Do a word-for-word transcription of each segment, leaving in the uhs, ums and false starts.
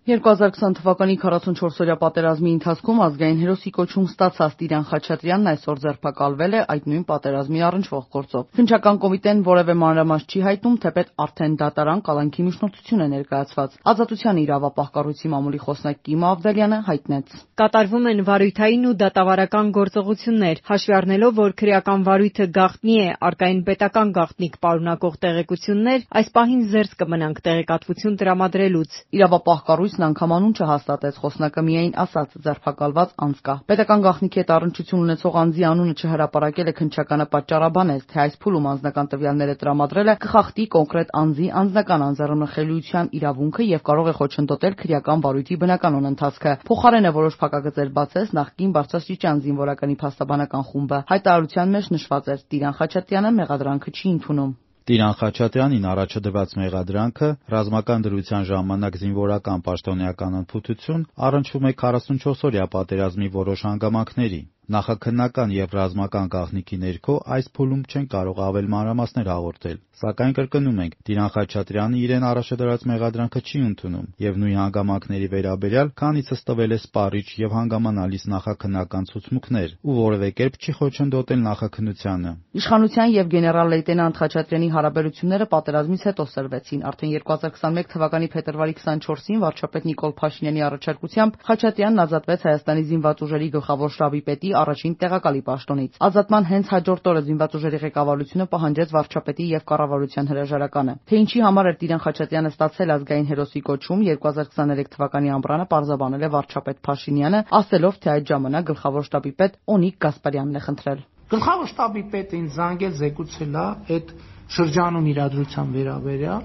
երկու հազար քսան թվականի քառասունչորսօրյա պատերազմի ընթացքում ազգային հերոսի կոչում ստացած Տիրան Խաչատրյանն այսօր ձերբակալվել է այդ նույն պատերազմի առնչվող գործով։ Քննչական կոմիտեն որևէ մանրամասն չի հայտնում, թեպետ արդեն դատարան կալանքի միջնորդություն է ներկայացված։ Ազատության իրավապահ կառույցի մամուլի խոսնակ Կիմա Ավդալյանը հայտնեց. Կատարվում են վարույթային ու դատավարական գործողություններ, հաշվի առնելով, որ քրեական վարույթը գաղտնի է, առկային պետական գաղտնիք պարունակող տեղեկություններ, այս պահին զերծ կմնանք տեղեկատվություն տրամադրելուց։ Իրավապահ կառույցն անգամ անուն չհաստատեց, խոսնակը միայն ասաց ձերբակալված անձ կա։ Պետական գաղտնիքի հետ առնչություն ունեցող անձի անունը չհրապարակելը քննչականը պատճառաբանեց, թե այս փուլում անձնական տվյալները տրամադրելը կխախտի կոնկրետ անձի անձնական անձեռնմխելիության իրավունքը եւ կարող է խոչընդոտել քրեական վարույթի բնականոն ընթացքը։ Փոխարենը որոշ փակագծեր բացեց նախկին բարձրաստիճան զինվորականի փաստաբանական խումբը։ Հայտարարության մեջ նշված էր՝ Տիրան Խաչատրյանը մեղադրանքը չի ընդունում։ Տիրան Խաչատրյանին առաջադրված մեղադրանքը ռազմական դրության ժամանակ զինվորական պաշտոնեական անփութություն առնչվում է քառասունչորսօրյա պատերազմի որոշ հանգամանքների։ Նախաքննական եւ ռազմական գաղտնիքի ներքո այս փուլում չեն կարող ավել մանրամասներ հաղորդել, սակայն կրկնում ենք, Տիրան Խաչատրյանը իրեն առաջադրած մեղադրանքը չի ընդունում եւ նույն հանգամանքների վերաբերյալ քանիցս տվել է սպառիչ եւ հանգամանալից նախաքննական ցուցմունքներ ու որևէ կերպ չի խոչընդոտել նախաքննությանը։ Իշխանության եւ գեներալ լեյտենանտ Խաչատրյանի հարաբերությունները պատերազմից հետո սրվեցին։ Արդեն երկու հազար քսանմեկ թվականի փետրվարի քսանչորսին վարչապետ Նիկոլ Փաշինյանի առաջարկությամբ Խաչատրյանն ազատվեց Հայաստանի զինված ուժերի գլխավոր շտաբի պետի առաջին տեղակալի պաշտոնից։ Ազատման հենց հաջորդ օրը զինված ուժերի ղեկավարությունը պահանջեց վարչապետի եւ կառավարության հրաժարականը։ Թե ինչի համար էր Տիրան Խաչատրյանը ստացել ազգային հերոսի կոչում, երկու հազար քսաներեք թվականի ամռանը պարզաբանել է վարչապետ Փաշինյանը, ասելով, թե այդ ժամանակ գլխավոր շտաբի պետ Օնիկ Գասպարյանն է խնդրել։ Գլխավոր շտաբի պետը ինձ զանգել զեկուցել է այդ շրջանում իրադրության վերաբերյալ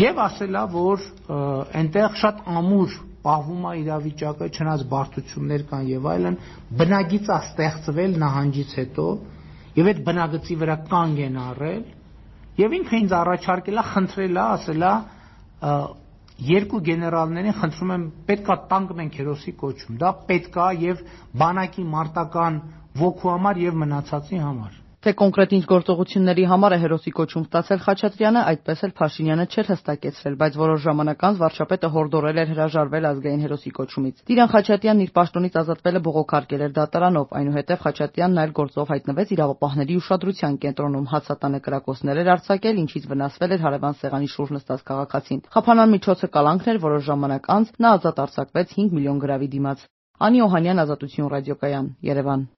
եւ ասել է, որ այնտեղ շատ ամուր պահվում է իրավիճակը, չնայած բարդություններ կան եւ այլն, բնագիծ է ստեղծվել նահանջից հետո եւ այդ բնագծի վրա կանգ են առել եւ ինքը ինձ առաջարկել է, խնդրել է, ասել է երկու գեներալներին խնդրում եմ պետքա տանք մենք հերոսի կոչում, դա պետք է եւ բանակի մարտական ոգու համար եւ մնացածի համար։ Թե կոնկրետ ինչ գործողությունների համար է հերոսի կոչում ստացել Խաչատրյանը, այդպես էլ Փաշինյանը չէր հստակեցրել, բայց որոշ ժամանակ անց վարչապետը հորդորել էր հրաժարվել ազգային հերոսի կոչումից։ Տիրան Խաչատրյանն իր պաշտոնից ազատվելը բողոքարկել էր դատարանով, այնուհետև Խաչատրյանն այլ գործով հայտնվեց իրավապահների ուշադրության կենտրոնում, հացատանը կրակոցներ էր արձակել, ինչից վնասվել էր հարևան սեղանի շուրջ նստած քաղաքացին։ Խափանան միջոցը կալանքն էր, որոշ ժամանակ անց նա ազատ արձակվեց հինգ միլիոն գրավի դիմաց։ Անի Օհանյան, Ազատություն ռադիոկայան, Երևան։